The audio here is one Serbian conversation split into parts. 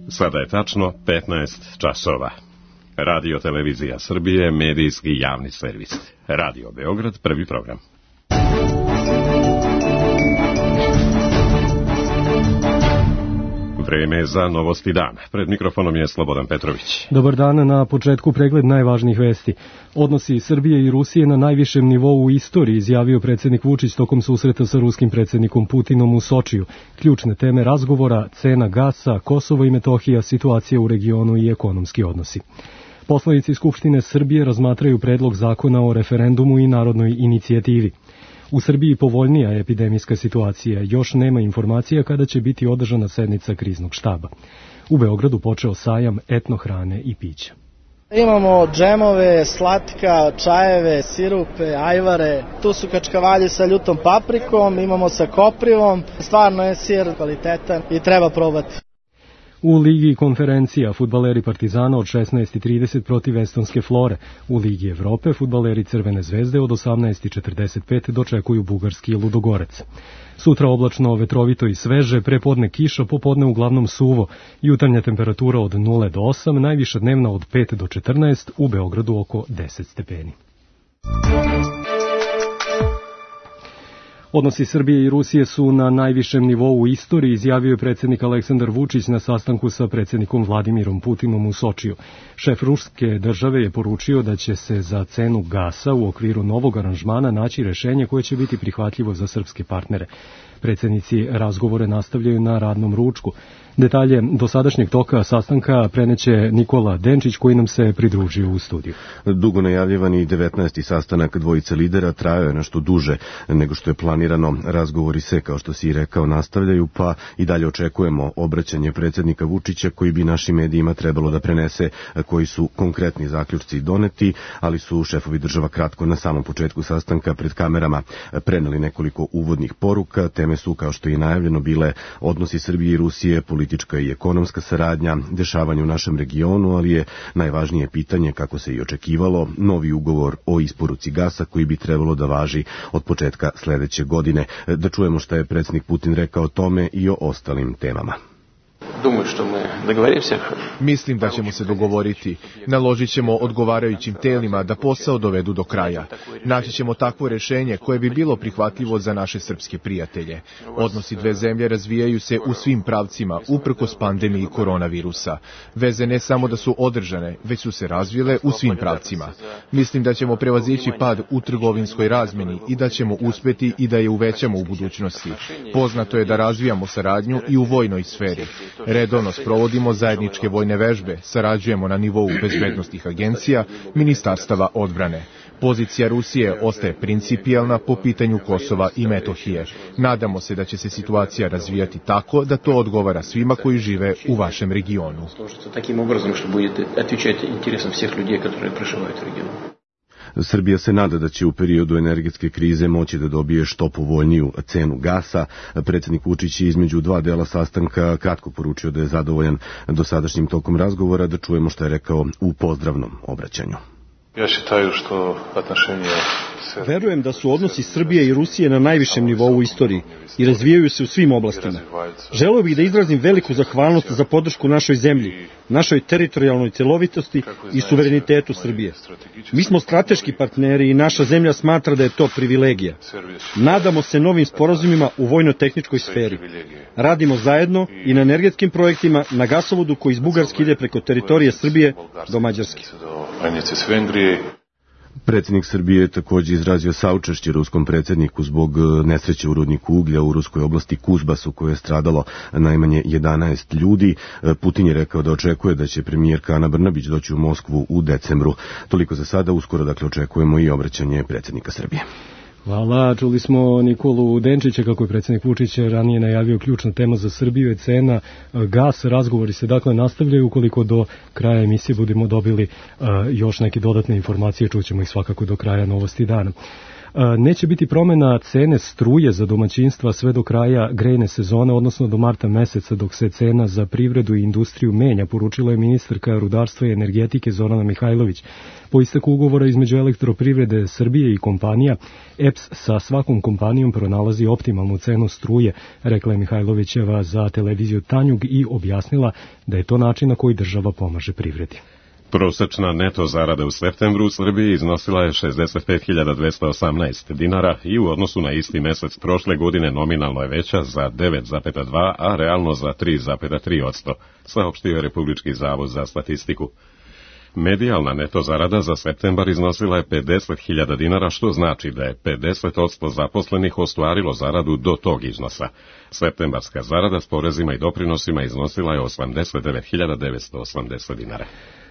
Sada je tačno 15 časova. Radio Televizija Srbije, medijski javni servis. Radio Beograd, prvi program. Vreme za novosti dana. Pred mikrofonom je Slobodan Petrović. Dobar dan, na početku pregled najvažnijih vesti. Odnosi Srbije i Rusije na najvišem nivou u istoriji, izjavio predsjednik Vučić tokom susreta sa ruskim predsjednikom Putinom u Sočiju. Ključne teme razgovora, cena gasa, Kosovo i Metohija, situacija u regionu i ekonomski odnosi. Poslanici Skupštine Srbije razmatraju predlog zakona o referendumu i narodnoj inicijativi. U Srbiji povoljnija epidemijska situacija, još nema informacija kada će biti održana sednica kriznog štaba. U Beogradu počeo sajam etnohrane i pića. Imamo džemove, slatka, čajeve, sirupe, ajvare, tu su kačkavalji sa ljutom paprikom, imamo sa koprivom, stvarno je sir kvalitetan i treba probati. U Ligi konferencija fudbaleri Partizana od 16:30 protiv estonske Flore. U Ligi Evrope fudbaleri Crvene zvezde od 18:45 dočekuju bugarski Ludogorec. Sutra oblačno, vetrovito i sveže, prepodne kiša, popodne uglavnom suvo. Jutarnja temperatura od 0 do 8, najviša dnevna od 5 do 14, u Beogradu oko 10 stepeni. Odnosi Srbije i Rusije su na najvišem nivou u istoriji, izjavio je predsjednik Aleksandar Vučić na sastanku sa predsjednikom Vladimirom Putinom u Sočiju. Šef ruske države je poručio da će se za cenu gasa u okviru novog aranžmana naći rešenje koje će biti prihvatljivo za srpske partnere. Predsjednici razgovore nastavljaju na radnom ručku. Detalje dosadašnjeg toka sastanka preneće Nikola Denčić, koji nam se pridružio u studiju. Dugo najavljivani 19. sastanak dvojice lidera trajao je nešto duže nego što je planirano. Razgovori se, kao što si i rekao, nastavljaju, pa i dalje očekujemo obraćanje predsjednika Vučića, koji bi našim medijima trebalo da prenese koji su konkretni zaključci doneti, ali su šefovi država kratko na samom početku sastanka pred kamerama preneli nekoliko uvodnih poruka. Teme su, kao što je najavljeno, bile odnosi Srbije i Rusije, politička i ekonomska saradnja, dešavanje u našem regionu, ali je najvažnije pitanje, kako se i očekivalo, novi ugovor o isporuci gasa koji bi trebalo da važi od početka sledeće godine. Da čujemo šta je predsjednik Putin rekao o tome i o ostalim temama. Mislim da ćemo se dogovoriti. Naložit ćemo odgovarajućim telima da posao dovedu do kraja. Naći ćemo takvo rešenje koje bi bilo prihvatljivo za naše srpske prijatelje. Odnosi dve zemlje razvijaju se u svim pravcima, uprkos pandemiji koronavirusa. Veze ne samo da su održane, već su se razvile u svim pravcima. Mislim da ćemo prevazići pad u trgovinskoj razmeni i da ćemo uspeti i da je uvećamo u budućnosti. Poznato je da razvijamo saradnju i u vojnoj sferi. Redovno sprovodimo zajedničke vojne vežbe, sarađujemo na nivou bezbednosnih agencija, ministarstava odbrane. Pozicija Rusije ostaje principijelna po pitanju Kosova i Metohije. Nadamo se da će se situacija razvijati tako da to odgovara svima koji žive u vašem regionu. Srbija se nada da će u periodu energetske krize moći da dobije što povoljniju cenu gasa. Predsjednik Vučić je između dva dela sastanka kratko poručio da je zadovoljan dosadašnjim tokom razgovora. Da čujemo što je rekao u pozdravnom obraćanju. Verujem da su odnosi Srbije i Rusije na najvišem nivou u istoriji i razvijaju se u svim oblastima. Želeo bih da izrazim veliku zahvalnost za podršku našoj zemlji, našoj teritorijalnoj celovitosti i suverenitetu Srbije. Mi smo strateški partneri i naša zemlja smatra da je to privilegija. Nadamo se novim sporazumima u vojno-tehničkoj sferi. Radimo zajedno i na energetskim projektima, na gasovodu koji iz Bugarske ide preko teritorije Srbije do Mađarske. Predsjednik Srbije je također izrazio saučešće ruskom predsjedniku zbog nesreće u rudniku uglja u ruskoj oblasti Kuzbas, u kojoj je stradalo najmanje 11 ljudi. Putin je rekao da očekuje da će premijerka Ana Brnabić doći u Moskvu u decembru. Toliko za sada, uskoro dakle očekujemo i obraćanje predsjednika Srbije. Hvala, čuli smo Nikolu Denčića, kako je predsjednik Vučić ranije najavio. Ključna tema za Srbiju je cena gas. Razgovori se dakle nastavljaju. Ukoliko do kraja emisije budemo dobili još neke dodatne informacije, čućemo ih svakako do kraja novosti dana. Neće biti promjena cene struje za domaćinstva sve do kraja grejne sezone, odnosno do marta meseca, dok se cena za privredu i industriju menja, poručila je ministarka rudarstva i energetike Zorana Mihajlović. Po isteku ugovora između Elektroprivrede Srbije i kompanija, EPS sa svakom kompanijom pronalazi optimalnu cenu struje, rekla je Mihajlovićeva za televiziju Tanjug i objasnila da je to način na koji država pomaže privredi. Prosečna neto zarada u septembru u Srbiji iznosila je 65.218 dinara i u odnosu na isti mesec prošle godine nominalno je veća za 9,2, a realno za 3,3%, saopštio je Republički zavod za statistiku. Medijalna neto zarada za septembar iznosila je 50.000 dinara, što znači da je 50% zaposlenih ostvarilo zaradu do tog iznosa. Septembarska zarada s porezima i doprinosima iznosila je 89.980 dinara.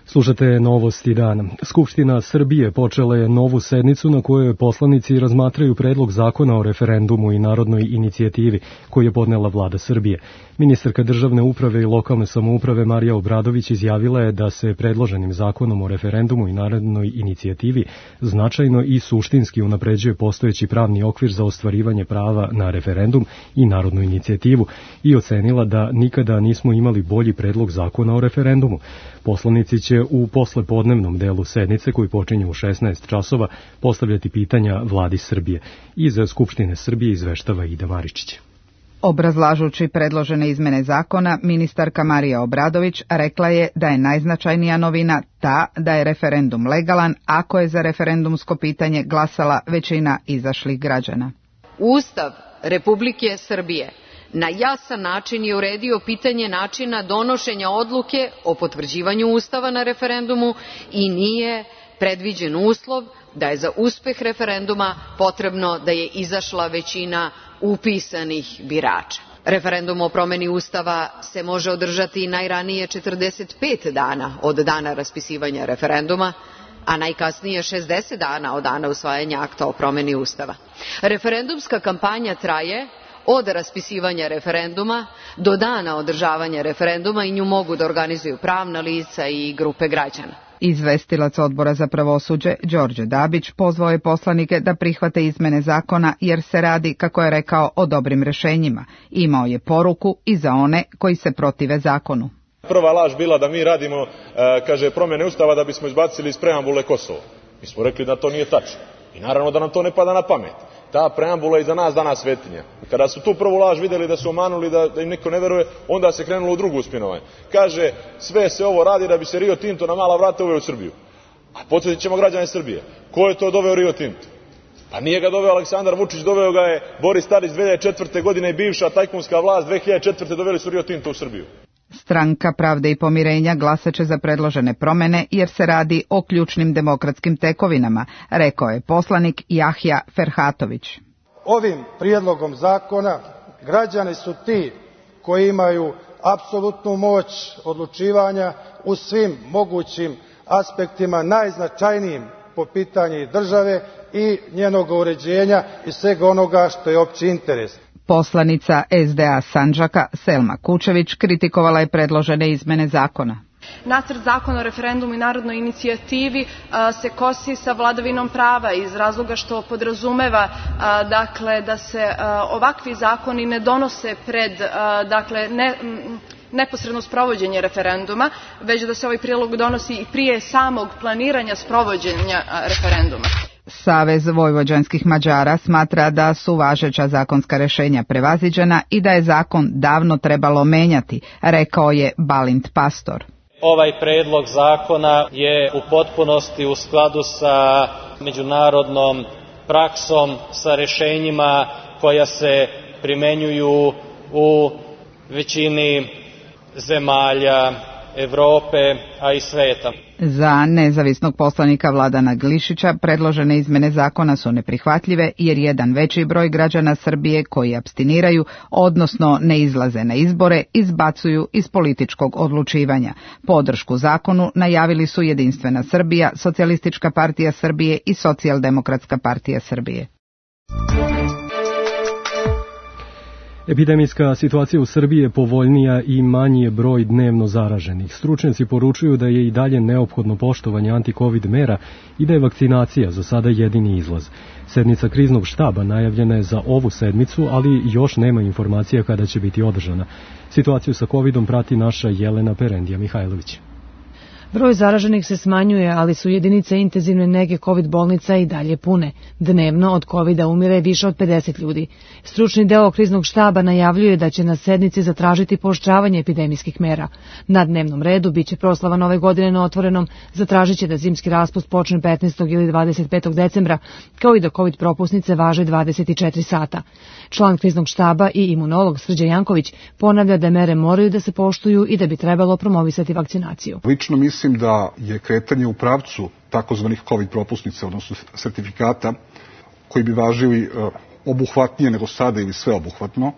Slušate novosti dana. Skupština Srbije počela je novu sednicu na kojoj poslanici razmatraju predlog zakona o referendumu i narodnoj inicijativi koji je podnela vlada Srbije. Ministarka državne uprave i lokalne samouprave Marija Obradović izjavila je da se predloženim zakonom o referendumu i narodnoj inicijativi značajno i suštinski unapređuje postojeći pravni okvir za ostvarivanje prava na referendum i narodnu inicijativu i ocenila da nikada nismo imali bolji predlog zakona o referendumu. Poslanici će u poslepodnevnom delu sednice, koji počinje u 16 časova, postavljati pitanja vladi Srbije. Iz Skupštine Srbije izveštava Ida Maričić. Obrazlažući predložene izmene zakona, ministarka Marija Obradović rekla je da je najznačajnija novina ta da je referendum legalan ako je za referendumsko pitanje glasala većina izašlih građana. Ustav Republike Srbije na jasan način je uredio pitanje načina donošenja odluke o potvrđivanju Ustava na referendumu i nije predviđen uslov da je za uspeh referenduma potrebno da je izašla većina upisanih birača. Referendum o promeni Ustava se može održati najranije 45 dana od dana raspisivanja referenduma, a najkasnije 60 dana od dana usvajanja akta o promeni Ustava. Referendumska kampanja traje od raspisivanja referenduma do dana održavanja referenduma i nju mogu da organizuju pravna lica i grupe građana. Izvestilac Odbora za pravosuđe Đorđe Dabić pozvao je poslanike da prihvate izmene zakona jer se radi, kako je rekao, o dobrim rešenjima. Imao je poruku i za one koji se protive zakonu. Prva laž bila da mi radimo, promjene Ustava da bismo izbacili iz preambule Kosovo. Mi smo rekli da to nije tačno. I naravno da nam to ne pada na pamet. Ta preambula je za nas danas svetinja. Kada su tu prvu laž vidjeli da su omanuli, da im niko ne veruje, onda se krenulo u drugu spinovanje. Kaže, sve se ovo radi da bi se Rio Tinto na mala vrata uveo u Srbiju. A podsjetit ćemo građane Srbije. Ko je to doveo Rio Tinto? Pa nije ga doveo Aleksandar Vučić, doveo ga je Boris Tadić 2004. godine i bivša tajkunska vlast 2004. doveli su Rio Tinto u Srbiju. Stranka Pravde i pomirenja glasaće za predložene promjene jer se radi o ključnim demokratskim tekovinama, rekao je poslanik Jahja Ferhatović. Ovim prijedlogom zakona građani su ti koji imaju apsolutnu moć odlučivanja u svim mogućim aspektima, najznačajnijim po pitanju države i njenog uređenja i svega onoga što je opći interes. Poslanica SDA Sandžaka Selma Kučević kritikovala je predložene izmene zakona. Nacrt zakona o referendumu i narodnoj inicijativi se kosi sa vladavinom prava iz razloga što podrazumeva da se ovakvi zakoni ne donose pred neposredno sprovođenje referenduma, već da se ovaj prijedlog donosi i prije samog planiranja sprovođenja referenduma. Savez vojvođanskih Mađara smatra da su važeća zakonska rešenja prevaziđena i da je zakon davno trebalo menjati, rekao je Balint Pastor. Ovaj predlog zakona je u potpunosti u skladu sa međunarodnom praksom, sa rešenjima koja se primenjuju u većini zemalja Evrope, a i sveta. Za nezavisnog poslanika Vladana Glišića predložene izmene zakona su neprihvatljive jer jedan veći broj građana Srbije koji apstiniraju, odnosno ne izlaze na izbore, izbacuju iz političkog odlučivanja. Podršku zakonu najavili su Jedinstvena Srbija, Socijalistička partija Srbije i Socijaldemokratska partija Srbije. Epidemijska situacija u Srbiji je povoljnija i manji je broj dnevno zaraženih. Stručnjaci poručuju da je i dalje neophodno poštovanje anti-covid mera i da je vakcinacija za sada jedini izlaz. Sednica kriznog štaba najavljena je za ovu sedmicu, ali još nema informacija kada će biti održana. Situaciju sa covidom prati naša Jelena Perendija Mihajlović. Broj zaraženih se smanjuje, ali su jedinice intenzivne nege COVID bolnica i dalje pune. Dnevno od covida umire više od 50 ljudi. Stručni deo kriznog štaba najavljuje da će na sednici zatražiti pooštravanje epidemijskih mera. Na dnevnom redu biće proslava Nove godine na otvorenom, zatražit će da zimski raspust počne 15. ili 25. decembra, kao i da COVID propusnice važe 24 sata. Član kriznog štaba i imunolog Srđan Janković ponavlja da mere moraju da se poštuju i da bi trebalo promovisati vakcinaciju. Lično mislim da je kretanje u pravcu takozvanih COVID propusnica, odnosno sertifikata, koji bi važili obuhvatnije nego sada ili sveobuhvatno,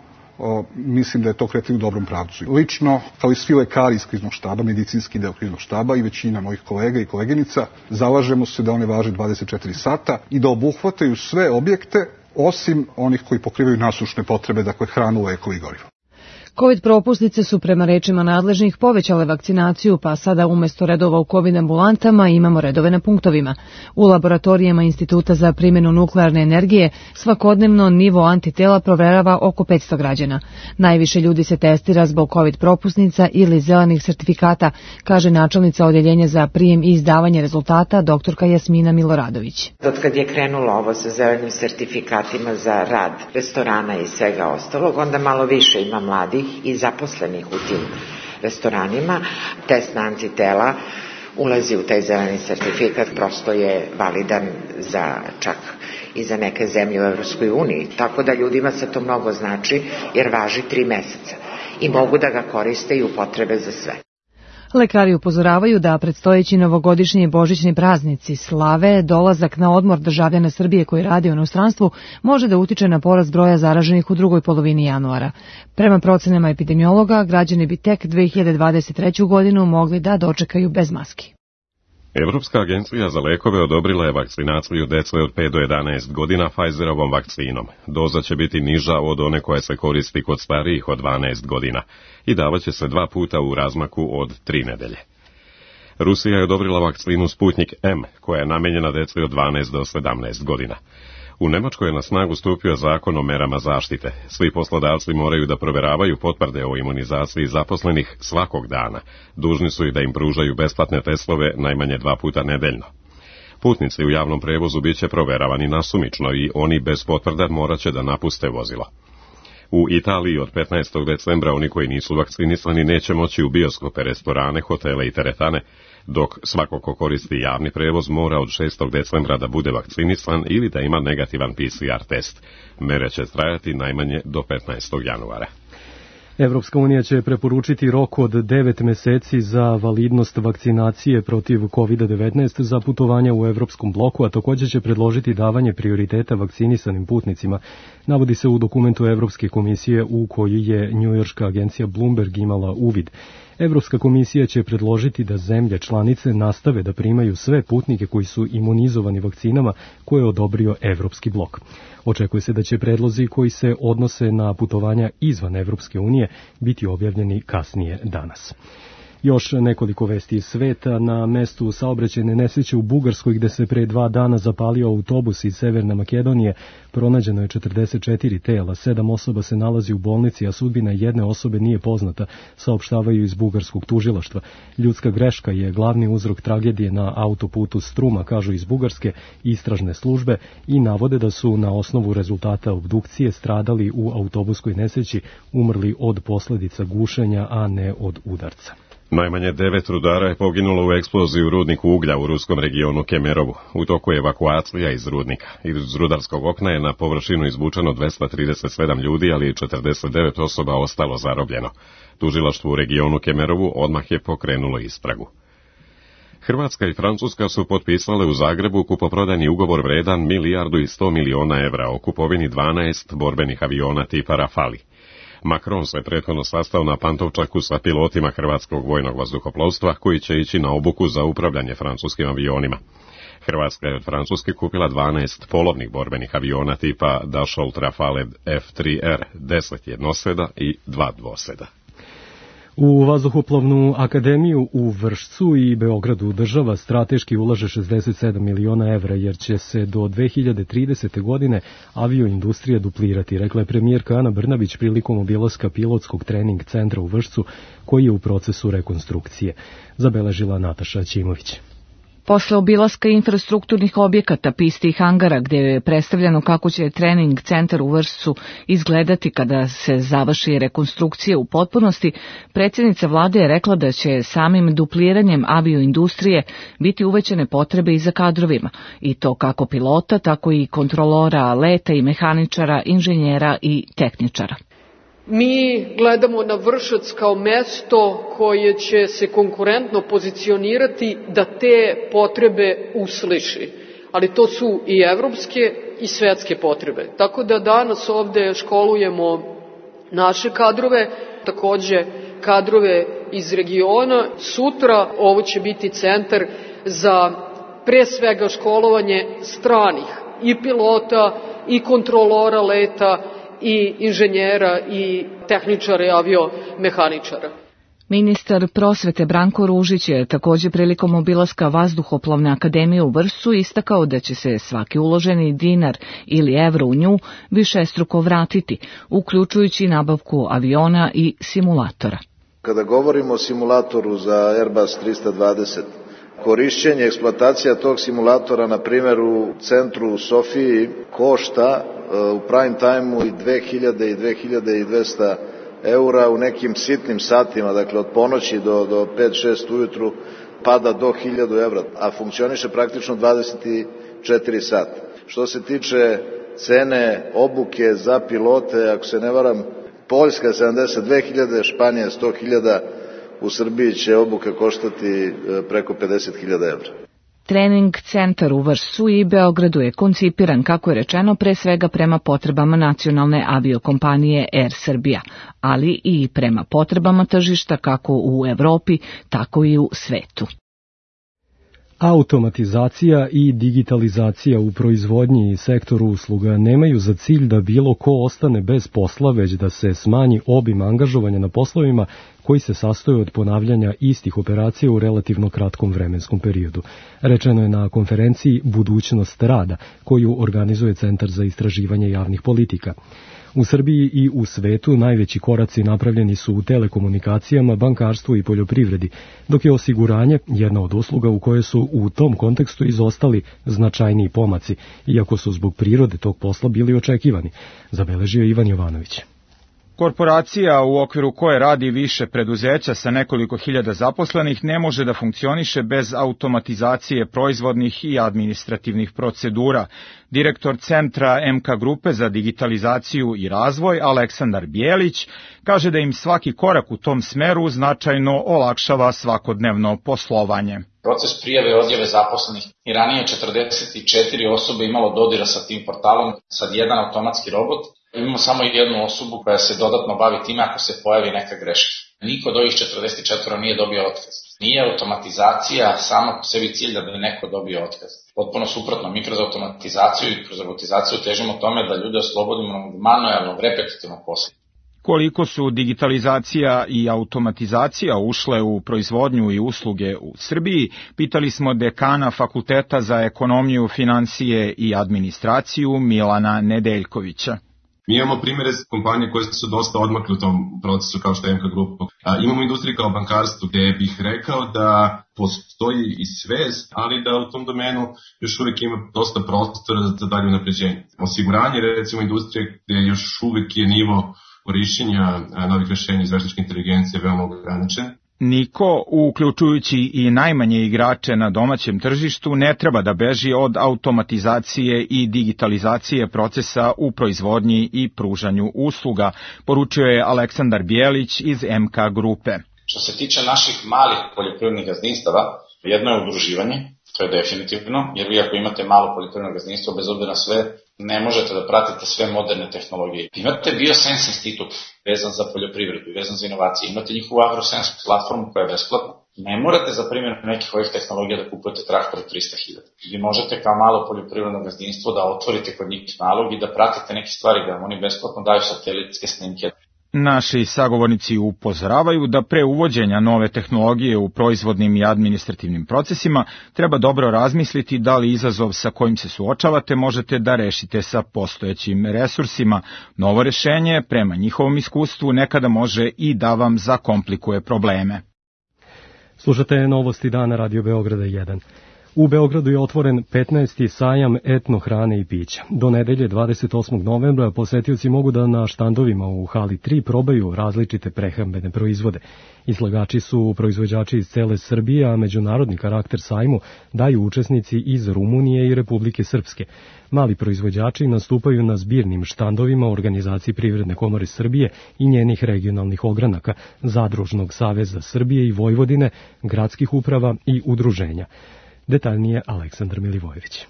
mislim da je to kretanje u dobrom pravcu. Lično, kao i svi lekari iz kriznog štaba, medicinski deo kriznog štaba i većina mojih kolega i koleginica, zalažemo se da one važe 24 sata i da obuhvataju sve objekte, osim onih koji pokrivaju nasušne potrebe, dakle hranu, lekove i gorivo. COVID propusnice su prema rečima nadležnih povećale vakcinaciju, pa sada umjesto redova u COVID ambulantama imamo redove na punktovima. U laboratorijama Instituta za primjenu nuklearne energije svakodnevno nivo antitela proverava oko 500 građana. Najviše ljudi se testira zbog COVID propusnica ili zelenih sertifikata, kaže načelnica Odjeljenja za prijem i izdavanje rezultata doktorka Jasmina Miloradović. Od kad je krenulo ovo sa zelenim sertifikatima za rad restorana i svega ostalog, onda malo više ima mladih i zaposlenih u tim restoranima. Test na antitela ulazi u taj zeleni sertifikat, prosto je validan za čak i za neke zemlje u Evropskoj uniji, tako da ljudima se to mnogo znači jer važi 3 meseca i mogu da ga koriste i upotrebe za sve. Lekari upozoravaju da predstojeći novogodišnji i božićni praznici slave, dolazak na odmor državljana Srbije koji radi u inostranstvu može da utiče na porast broja zaraženih u drugoj polovini januara. Prema procenama epidemiologa, građani bi tek 2023. godinu mogli da dočekaju bez maski. Evropska agencija za lekove odobrila je vakcinaciju dece od 5 do 11 godina Pfizerovom vakcinom. Doza će biti niža od one koja se koristi kod starijih od 12 godina i davaće se 2 puta u razmaku od 3 nedelje. Rusija je odobrila vakcinu Sputnik M, koja je namenjena deci od 12 do 17 godina. U Nemačkoj je na snagu stupio zakon o merama zaštite. Svi poslodavci moraju da proveravaju potvrde o imunizaciji zaposlenih svakog dana. Dužni su i da im pružaju besplatne testove najmanje 2 puta nedeljno. Putnici u javnom prevozu bit će proveravani nasumično i oni bez potvrda morat će da napuste vozilo. U Italiji od 15. decembra oni koji nisu vakcinisani neće moći u bioskope, restorane, hotele i teretane, dok svako ko koristi javni prevoz mora od 6. decembra da bude vakcinisan ili da ima negativan PCR test. Mere će trajati najmanje do 15. januara. Evropska unija će preporučiti rok od 9 meseci za validnost vakcinacije protiv COVID-19 za putovanja u evropskom bloku, a također će predložiti davanje prioriteta vakcinisanim putnicima. Navodi se u dokumentu Evropske komisije u koji je njujorška agencija Bloomberg imala uvid. Evropska komisija će predložiti da zemlje članice nastave da primaju sve putnike koji su imunizovani vakcinama koje je odobrio Evropski blok. Očekuje se da će predlozi koji se odnose na putovanja izvan Evropske unije biti objavljeni kasnije danas. Još nekoliko vesti iz sveta. Na mestu saobraćajne nesreće u Bugarskoj gde se pre 2 dana zapalio autobus iz Severne Makedonije pronađeno je 44 tela, 7 osoba se nalazi u bolnici, a sudbina jedne osobe nije poznata, saopštavaju iz bugarskog tužilaštva. Ljudska greška je glavni uzrok tragedije na autoputu Struma, kažu iz bugarske istražne službe i navode da su na osnovu rezultata obdukcije stradali u autobuskoj nesreći umrli od posljedica gušenja, a ne od udarca. Najmanje 9 rudara je poginulo u eksploziji u rudniku uglja u ruskom regionu Kemerovu. U toku je evakuacija iz rudnika. Iz rudarskog okna je na površinu izvučeno 237 ljudi, ali 49 osoba ostalo zarobljeno. Tužilaštvo u regionu Kemerovu odmah je pokrenulo istragu. Hrvatska i Francuska su potpisale u Zagrebu kupoprodajni ugovor vredan 1 milijardu i 100 miliona evra o kupovini 12 borbenih aviona tipa Rafali. Macron se prethodno sastao na Pantovčaku sa pilotima hrvatskog vojnog vazduhoplovstva koji će ići na obuku za upravljanje francuskim avionima. Hrvatska je od Francuske kupila 12 polovnih borbenih aviona tipa Dassault Rafale F3R, 10 jednoseda i 2 dvoseda. U Vazduhoplovnu akademiju u Vršcu i Beogradu država strateški ulaže 67 miliona evra, jer će se do 2030. godine avioindustrija duplirati, rekla je premijerka Ana Brnabić prilikom obilaska pilotskog trening centra u Vršcu, koji je u procesu rekonstrukcije. Zabeležila Nataša Ćimović. Posle obilaska infrastrukturnih objekata, pisti i hangara, gde je predstavljeno kako će trening centar u Vršcu izgledati kada se završi rekonstrukcija u potpunosti, predsjednica vlade je rekla da će samim dupliranjem avioindustrije biti uvećane potrebe i za kadrovima, i to kako pilota, tako i kontrolora leta i mehaničara, inženjera i tehničara. Mi gledamo na Vršac kao mesto koje će se konkurentno pozicionirati da te potrebe usliši, ali to su i evropske i svetske potrebe. Tako da danas ovde školujemo naše kadrove, takođe kadrove iz regiona. Sutra ovo će biti centar za pre svega školovanje stranih i pilota i kontrolora leta i inženjera i tehničara i aviomehaničara. Ministar prosvete Branko Ružić je takođe prilikom obilaska Vazduhoplovne akademije u Vršcu istakao da će se svaki uloženi dinar ili evro u nju višestruko vratiti, uključujući nabavku aviona i simulatora. Kada govorimo o simulatoru za Airbus 320, korišćenje, eksploatacija tog simulatora, na primjer u centru u Sofiji, košta u prime time-u i 2000 i 2200 eura, u nekim sitnim satima, dakle od ponoći do 5-6 ujutru, pada do 1000 evra, a funkcioniše praktično 24 sata. Što se tiče cene obuke za pilote, ako se ne varam, Poljska 72.000, Španija 100.000, u Srbiji će obuka koštati preko 50.000 evra. Trening centar u Vršcu i Beogradu je koncipiran, kako je rečeno, pre svega prema potrebama nacionalne aviokompanije Air Srbija, ali i prema potrebama tržišta kako u Evropi, tako i u svetu. Automatizacija i digitalizacija u proizvodnji i sektoru usluga nemaju za cilj da bilo ko ostane bez posla, već da se smanji obim angažovanja na poslovima koji se sastoje od ponavljanja istih operacija u relativno kratkom vremenskom periodu. Rečeno je na konferenciji Budućnost rada, koju organizuje Centar za istraživanje javnih politika. U Srbiji i u svetu najveći koraci napravljeni su u telekomunikacijama, bankarstvu i poljoprivredi, dok je osiguranje jedna od usluga u kojoj su u tom kontekstu izostali značajniji pomaci, iako su zbog prirode tog posla bili očekivani, zabeležio Ivan Jovanović. Korporacija u okviru koje radi više preduzeća sa nekoliko hiljada zaposlenih ne može da funkcioniše bez automatizacije proizvodnih i administrativnih procedura. Direktor Centra MK Grupe za digitalizaciju i razvoj Aleksandar Bijelić kaže da im svaki korak u tom smeru značajno olakšava svakodnevno poslovanje. Proces prijave i odjave zaposlenih i ranije 44 osobe imalo dodira sa tim portalom, sad jedan automatski robot. Imamo samo jednu osobu koja se dodatno bavi time ako se pojavi neka greška. Niko od ovih 44 nije dobio otkaz. Nije automatizacija sama po sebi cilj da bi neko dobio otkaz. Potpuno suprotno, mi kroz automatizaciju i kroz robotizaciju težimo tome da ljude oslobodimo manualnog, repetitivnog posla. Koliko su digitalizacija i automatizacija ušle u proizvodnju i usluge u Srbiji, pitali smo dekana Fakulteta za ekonomiju, financije i administraciju Milana Nedeljkovića. Mi imamo primjere kompanije koje su dosta odmakle u tom procesu kao što je MK Grupa. Imamo industriju kao bankarstvo gdje bih rekao da postoji i svest, ali da u tom domenu još uvijek ima dosta prostora za dalje unapređenje. Osiguranje, recimo, industrije gdje još uvijek je nivo korišćenja novih rješenja iz veštačke inteligencije veoma ograničen. Niko, uključujući i najmanje igrače na domaćem tržištu, ne treba da beži od automatizacije i digitalizacije procesa u proizvodnji i pružanju usluga, poručio je Aleksandar Bijelić iz MK Grupe. Što se tiče naših malih poljoprivrednih gazdinstava, jedno je udruživanje, to je definitivno, jer vi ako imate malo poljoprivredno gazdinstvo, bez obzira na sve, ne možete da pratite sve moderne tehnologije. Imate Biosense institut vezan za poljoprivredu i vezan za inovacije, imate njihovu AgroSense platformu koja je besplatna. Ne morate za primjer nekih ovih tehnologija da kupujete traktor 300.000. Vi možete kao malo poljoprivredno gazdinstvo da otvorite kod njih nalog i da pratite neke stvari, da vam oni besplatno daju satelitske snimke. Naši sagovornici upozoravaju da pre uvođenja nove tehnologije u proizvodnim i administrativnim procesima treba dobro razmisliti da li izazov sa kojim se suočavate možete da rešite sa postojećim resursima. Novo rešenje, prema njihovom iskustvu, nekada može i da vam zakomplikuje probleme. Slušate novosti dana Radio Beograda 1. U Beogradu je otvoren 15. sajam etno hrane i pića. Do nedelje 28. novembra posetioci mogu da na štandovima u hali 3 probaju različite prehrambene proizvode. Izlagači su proizvođači iz cele Srbije, a međunarodni karakter sajmu daju učesnici iz Rumunije i Republike Srpske. Mali proizvođači nastupaju na zbirnim štandovima Organizacije Privredne komore Srbije i njenih regionalnih ogranaka, Zadružnog saveza Srbije i Vojvodine, gradskih uprava i udruženja. Detaljnije Aleksandar Milivojević.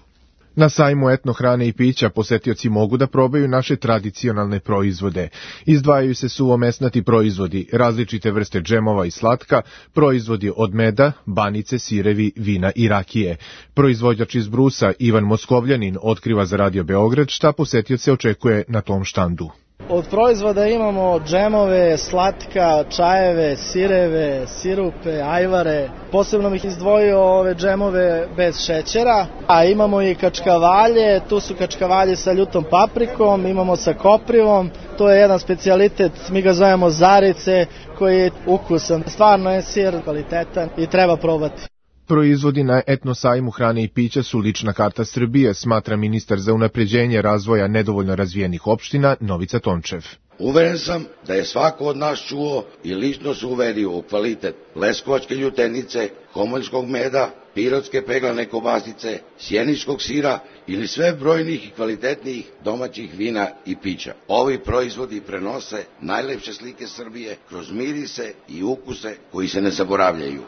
Na sajmu etno hrane i pića posetioci mogu da probaju naše tradicionalne proizvode. Izdvajaju se suvomesnati proizvodi, različite vrste džemova i slatka, proizvodi od meda, banice, sirevi, vina i rakije. Proizvođač iz Brusa Ivan Moskovljanin otkriva za Radio Beograd šta posetioce očekuje na tom štandu. Od proizvoda imamo džemove, slatka, čajeve, sireve, sirupe, ajvare. Posebno bih izdvojio ove džemove bez šećera. A imamo i kačkavalje, tu su kačkavalje sa ljutom paprikom, imamo sa koprivom. To je jedan specijalitet, mi ga zovemo zarice, koji je ukusan. Stvarno je sir kvalitetan i treba probati. Proizvodi na etno sajmu hrane i pića su lična karta Srbije, smatra ministar za unapređenje razvoja nedovoljno razvijenih opština Novica Tončev. Uveren sam da je svako od nas čuo i lično se uverio u kvalitet leskovačke ljutenice, homoljskog meda, pirotske peglane kobasice, sjeničkog sira ili sve brojnih i kvalitetnijih domaćih vina i pića. Ovi proizvodi prenose najlepše slike Srbije kroz mirise i ukuse koji se ne zaboravljaju.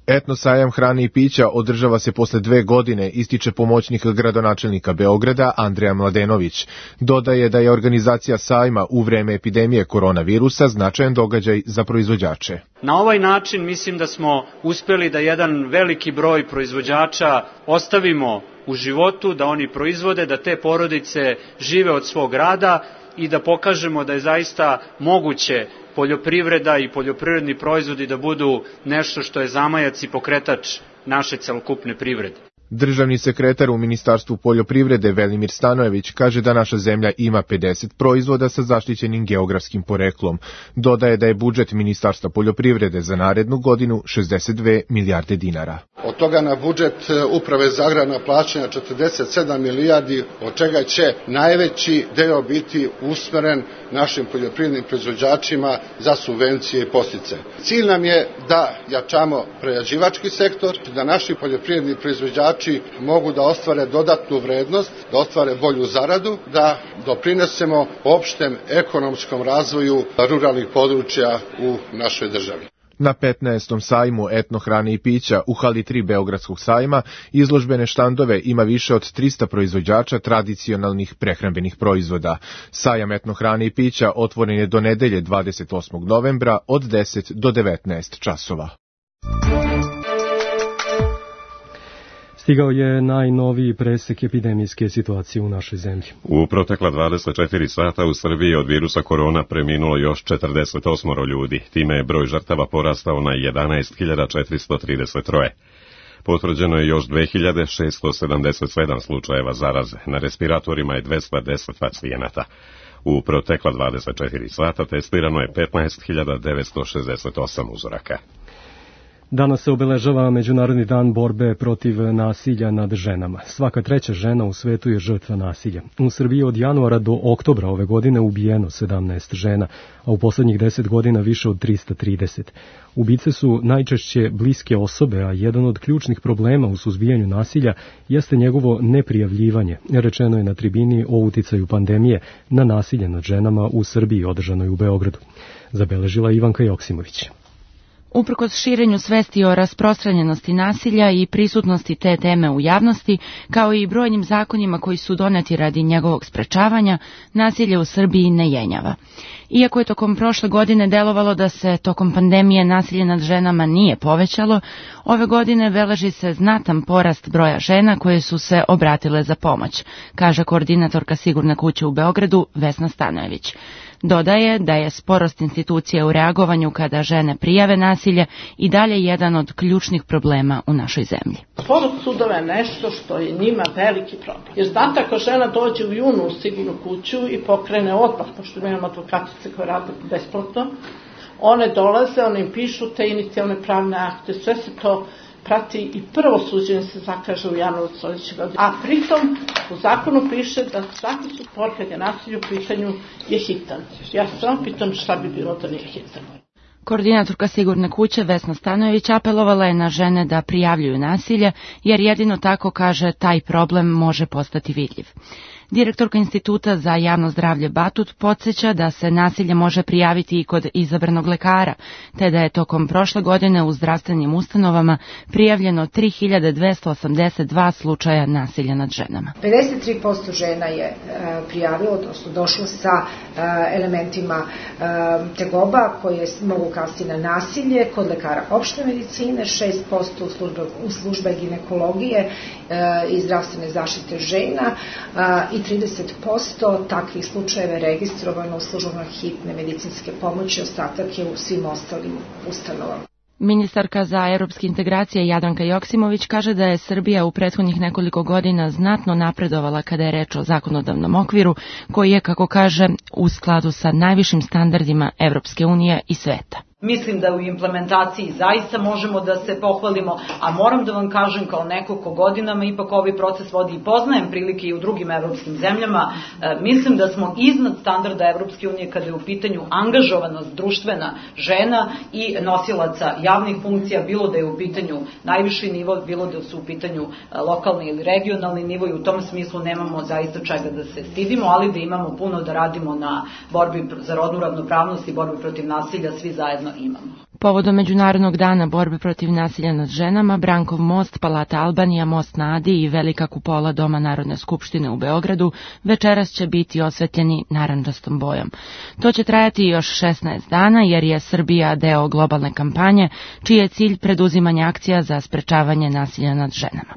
Etno sajam hrane i pića održava se posle 2 godine, ističe pomoćnik gradonačelnika Beograda Andreja Mladenović. Dodaje da je organizacija sajma u vreme epidemije koronavirusa značajan događaj za proizvođače. Na ovaj način mislim da smo uspeli da jedan veliki broj proizvođača ostavimo u životu, da oni proizvode, da te porodice žive od svog rada i da pokažemo da je zaista moguće poljoprivreda i poljoprivredni proizvodi da budu nešto što je zamajac i pokretač naše celokupne privrede. Državni sekretar u Ministarstvu poljoprivrede Velimir Stanojević kaže da naša zemlja ima 50 proizvoda sa zaštićenim geografskim poreklom. Dodaje da je budžet Ministarstva poljoprivrede za narednu godinu 62 milijarde dinara. Od toga na budžet Uprave za agrarna plaćanja 47 milijardi, od čega će najveći deo biti usmeren našim poljoprivrednim proizvođačima za subvencije i podsticaje. Cilj nam je da jačamo prerađivački sektor, da naši poljoprivredni proizvođači mogu da ostvare dodatnu vrednost, da ostvare bolju zaradu, da doprinesemo opštem ekonomskom razvoju ruralnih područja u našoj državi. Na 15. sajmu etno hrane i pića u hali 3 Beogradskog sajma izložbene štandove ima više od 300 proizvođača tradicionalnih prehrambenih proizvoda. Sajam etno hrane i pića otvoren je do nedelje 28. novembra od 10 do 19 časova. Stigao je najnoviji presek epidemijske situacije u našoj zemlji. U protekla 24 sata u Srbiji od virusa korona preminulo još 48 ljudi. Time je broj žrtava porastao na 11.433. Potvrđeno je još 2677 slučajeva zaraze. Na respiratorima je 210 pacijenata. U protekla 24 sata testirano je 15.968 uzoraka. Danas se obeležava Međunarodni dan borbe protiv nasilja nad ženama. Svaka 3. žena u svetu je žrtva nasilja. U Srbiji od januara do oktobra ove godine ubijeno 17 žena, a u poslednjih 10 godina više od 330. Ubice su najčešće bliske osobe, a jedan od ključnih problema u suzbijanju nasilja jeste njegovo neprijavljivanje, rečeno je na tribini o uticaju pandemije na nasilje nad ženama u Srbiji održanoj u Beogradu. Zabeležila Ivanka Joksimović. Uprkos širenju svesti o rasprostranjenosti nasilja i prisutnosti te teme u javnosti, kao i brojnim zakonima koji su doneti radi njegovog sprečavanja, nasilje u Srbiji ne jenjava. Iako je tokom prošle godine delovalo da se tokom pandemije nasilje nad ženama nije povećalo, ove godine beleži se znatan porast broja žena koje su se obratile za pomoć, kaže koordinatorka Sigurne kuće u Beogradu Vesna Stanojević. Dodaje da je sporost institucija u reagovanju kada žene prijave nasilje i dalje jedan od ključnih problema u našoj zemlji. Sporost sudova je nešto što je njima veliki problem. Jer znate, ako žena dođe u junu u Sigurnu kuću i pokrene odmah, pošto imamo advokatice koje rade besplatno, one dolaze, one im pišu te inicijalne pravne akte, sve se to prati i prvo suđenje se zakaže u januaru sledeće godine. A pritom u zakonu piše da svaki spor kad je nasilje u pitanju je hitan. Ja se samo pitam šta bi bilo da nije hitan. Koordinatorka Sigurne kuće Vesna Stanojević apelovala je na žene da prijavljuju nasilje, jer jedino tako, kaže, taj problem može postati vidljiv. Direktorka Instituta za javno zdravlje Batut podsjeća da se nasilje može prijaviti i kod izabranog lekara, te da je tokom prošle godine u zdravstvenim ustanovama prijavljeno 3282 slučaja nasilja nad ženama. 53% žena je prijavilo, odnosno došlo sa elementima tegoba koje mogu kasti na nasilje kod lekara opšte medicine, 6% u službe ginekologije i zdravstvene zaštite žena i 30% takvih slučajeva je registrovano u službama hitne medicinske pomoći, ostatak je u svim ostalim ustanovama. Ministarka za europske integracije Jadranka Joksimović kaže da je Srbija u prethodnih nekoliko godina znatno napredovala kada je reč o zakonodavnom okviru, koji je, kako kaže, u skladu sa najvišim standardima Evropske unije i sveta. Mislim da u implementaciji zaista možemo da se pohvalimo, a moram da vam kažem kao neko ko godinama ipak ovaj proces vodi i poznajem prilike i u drugim evropskim zemljama, mislim da smo iznad standarda Evropske unije kada je u pitanju angažovanost društvena žena i nosilaca javnih funkcija, bilo da je u pitanju najviši nivo, bilo da su u pitanju lokalni ili regionalni nivo, i u tom smislu nemamo zaista čega da se stidimo, ali da imamo puno da radimo na borbi za rodnu ravnopravnost i borbi protiv nasilja, svi zajedno imamo. Povodom Međunarodnog dana borbe protiv nasilja nad ženama, Brankov most, Palata Albanija, most na Adi i Velika kupola Doma Narodne skupštine u Beogradu večeras će biti osvetljeni narandžastom bojom. To će trajati još 16 dana jer je Srbija deo globalne kampanje, čiji je cilj preduzimanje akcija za sprečavanje nasilja nad ženama.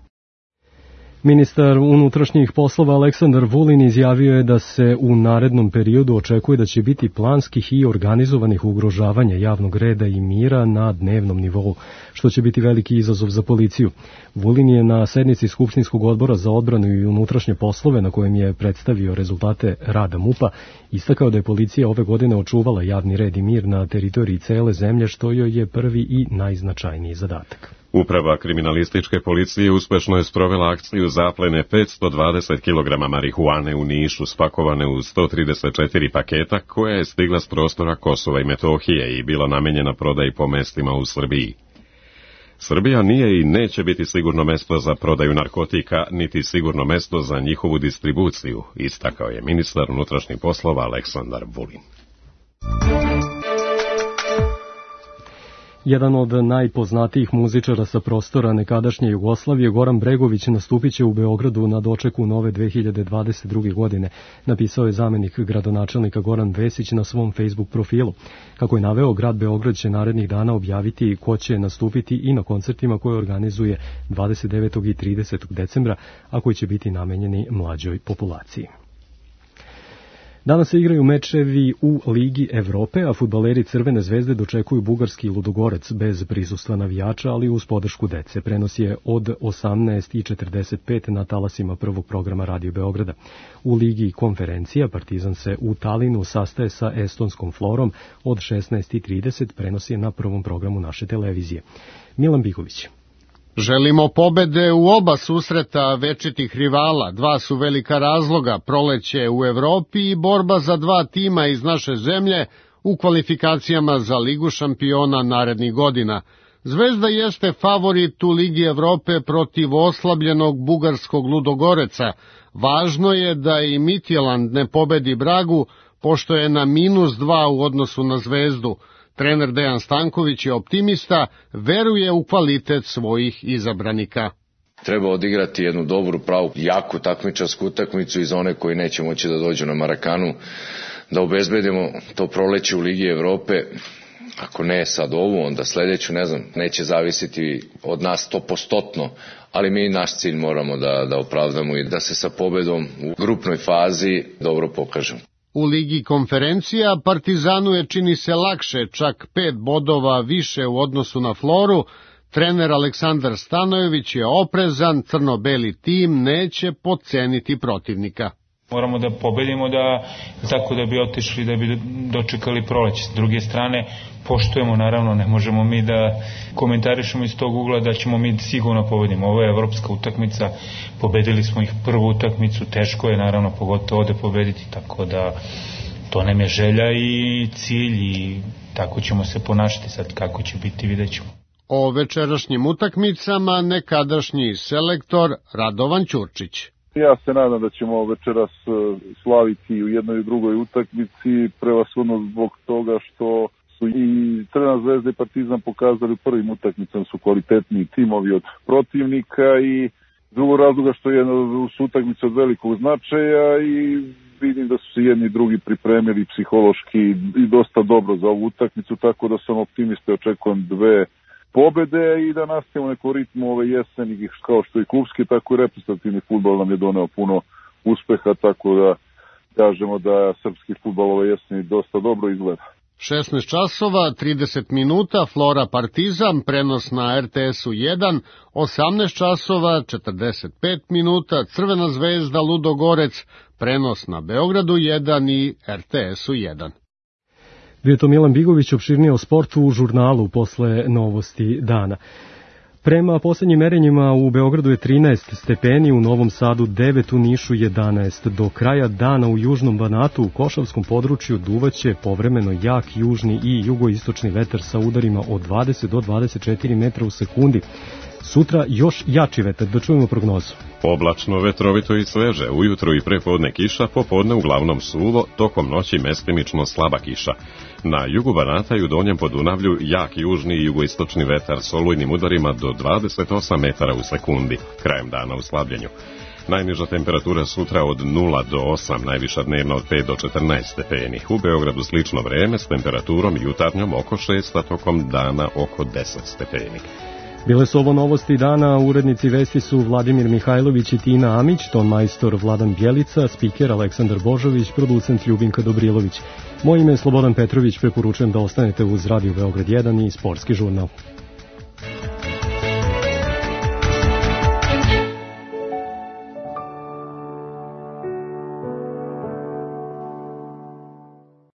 Ministar unutrašnjih poslova Aleksandar Vulin izjavio je da se u narednom periodu očekuje da će biti planskih i organizovanih ugrožavanja javnog reda i mira na dnevnom nivou, što će biti veliki izazov za policiju. Vulin je na sednici Skupštinskog odbora za odbranu i unutrašnje poslove, na kojem je predstavio rezultate rada MUP-a, istakao da je policija ove godine očuvala javni red i mir na teritoriji cele zemlje, što joj je prvi i najznačajniji zadatak. Uprava kriminalističke policije uspešno je sprovela akciju zaplene 520 kg marihuane u Nišu, spakovane u 134 paketa, koja je stigla s prostora Kosova i Metohije i bila namenjena prodaji po mestima u Srbiji. Srbija nije i neće biti sigurno mesto za prodaju narkotika, niti sigurno mesto za njihovu distribuciju, istakao je ministar unutrašnjih poslova Aleksandar Vulin. Jedan od najpoznatijih muzičara sa prostora nekadašnje Jugoslavije, Goran Bregović, nastupit će u Beogradu na dočeku nove 2022. godine, napisao je zamenik gradonačelnika Goran Vesić na svom Facebook profilu. Kako je naveo, grad Beograd će narednih dana objaviti ko će nastupiti i na koncertima koje organizuje 29. i 30. decembra, a koji će biti namenjeni mlađoj populaciji. Danas se igraju mečevi u Ligi Evrope, a fudbaleri Crvene zvezde dočekuju bugarski Ludogorec bez prisustva navijača, ali uz podršku dece. Prenos je od 18:45 na talasima prvog programa Radio Beograda. U Ligi konferencija Partizan se u Talinu sastaje sa estonskom Florom od 16:30, prenos je na prvom programu naše televizije. Milan Biković. Želimo pobede u oba susreta večitih rivala. Dva su velika razloga, proleće u Evropi i borba za dva tima iz naše zemlje u kvalifikacijama za Ligu šampiona narednih godina. Zvezda jeste favorit u Ligi Evrope protiv oslabljenog bugarskog Ludogoreca. Važno je da i Midtjylland ne pobedi Bragu, pošto je na -2 u odnosu na Zvezdu. Trener Dejan Stanković je optimista, veruje u kvalitet svojih izabranika. Treba odigrati jednu dobru, pravu, jaku takmičarsku utakmicu iz one koji neće moći da dođu na Marakanu, da obezbedimo to proleće u Ligi Evrope. Ako ne sad ovu, onda sledeću, ne znam, neće zavisiti od nas 100%, ali mi naš cilj moramo da opravdamo i da se sa pobedom u grupnoj fazi dobro pokažemo. U Ligi konferencija Partizanu je čini se lakše, čak 5 bodova više u odnosu na Floru. Trener Aleksandar Stanojević je oprezan, crno-beli tim neće podceniti protivnika. Moramo da pobedimo tako da bi otišli, da bi dočekali proleće. S druge strane, poštujemo, naravno, ne možemo mi da komentarišemo iz tog ugla da ćemo mi sigurno pobedimo. Ovo je evropska utakmica, pobedili smo ih prvu utakmicu, teško je naravno pogotovo ovde pobediti, tako da to nam je želja i cilj i tako ćemo se ponašati. Sad kako će biti, vidjet ćemo. O večerašnjim utakmicama nekadašnji selektor Radovan Ćurčić. Ja se nadam da ćemo večeras slaviti u jednoj i drugoj utakmici, prevashodno zbog toga što su i Crvena zvezda i Partizan pokazali u prvim utakmicama su kvalitetniji timovi od protivnika i drugog razloga što je su utakmice od velikog značaja i vidim da su se jedni i drugi pripremili psihološki i dosta dobro za ovu utakmicu, tako da sam optimista i očekujem 2 pobede i da nastavimo neko ritmu ove jeseni, kao što i klubski, tako i reprezentativni fudbal nam je doneo puno uspeha, tako da kažemo da srpski fudbal ove jeseni dosta dobro izgleda. 16 časova, 30 minuta, Flora Partizan, prenos na RTS-u 1, 18 časova, 45 minuta, Crvena zvezda Ludogorec, prenos na Beogradu 1 i RTS-u 1. Bio je to Milan Bigović, opširnije o sportu u žurnalu posle novosti dana. Prema poslednjim merenjima u Beogradu je 13 stepeni, u Novom Sadu 9, u Nišu 11. Do kraja dana u južnom Banatu u Košavskom području duvaće povremeno jak južni i jugoistočni vetar sa udarima od 20 do 24 metra u sekundi. Sutra još jači vetar, da čujemo prognozu. Oblačno, vetrovito i sveže, ujutro i prepodne kiša, popodne uglavnom suvo, tokom noći mestimično slaba kiša. Na jugu Banata i u Donjem Podunavlju jak južni i jugoistočni vetar s olujnim udarima do 28 metara u sekundi, krajem dana u slabljenju. Najniža temperatura sutra od 0 do 8, najviša dnevna od 5 do 14 stepeni. U Beogradu slično vreme s temperaturom jutarnjom oko 6, a tokom dana oko 10 stepeni. Bile su ovo novosti dana, urednici vesti su Vladimir Mihajlović i Tina Amić, ton majstor Vladan Bjelica, spiker Aleksandar Božović, producent Ljubinka Dobrilović. Moje ime je Slobodan Petrović, preporučujem da ostanete uz Radio Beograd 1 i Sportski žurnal.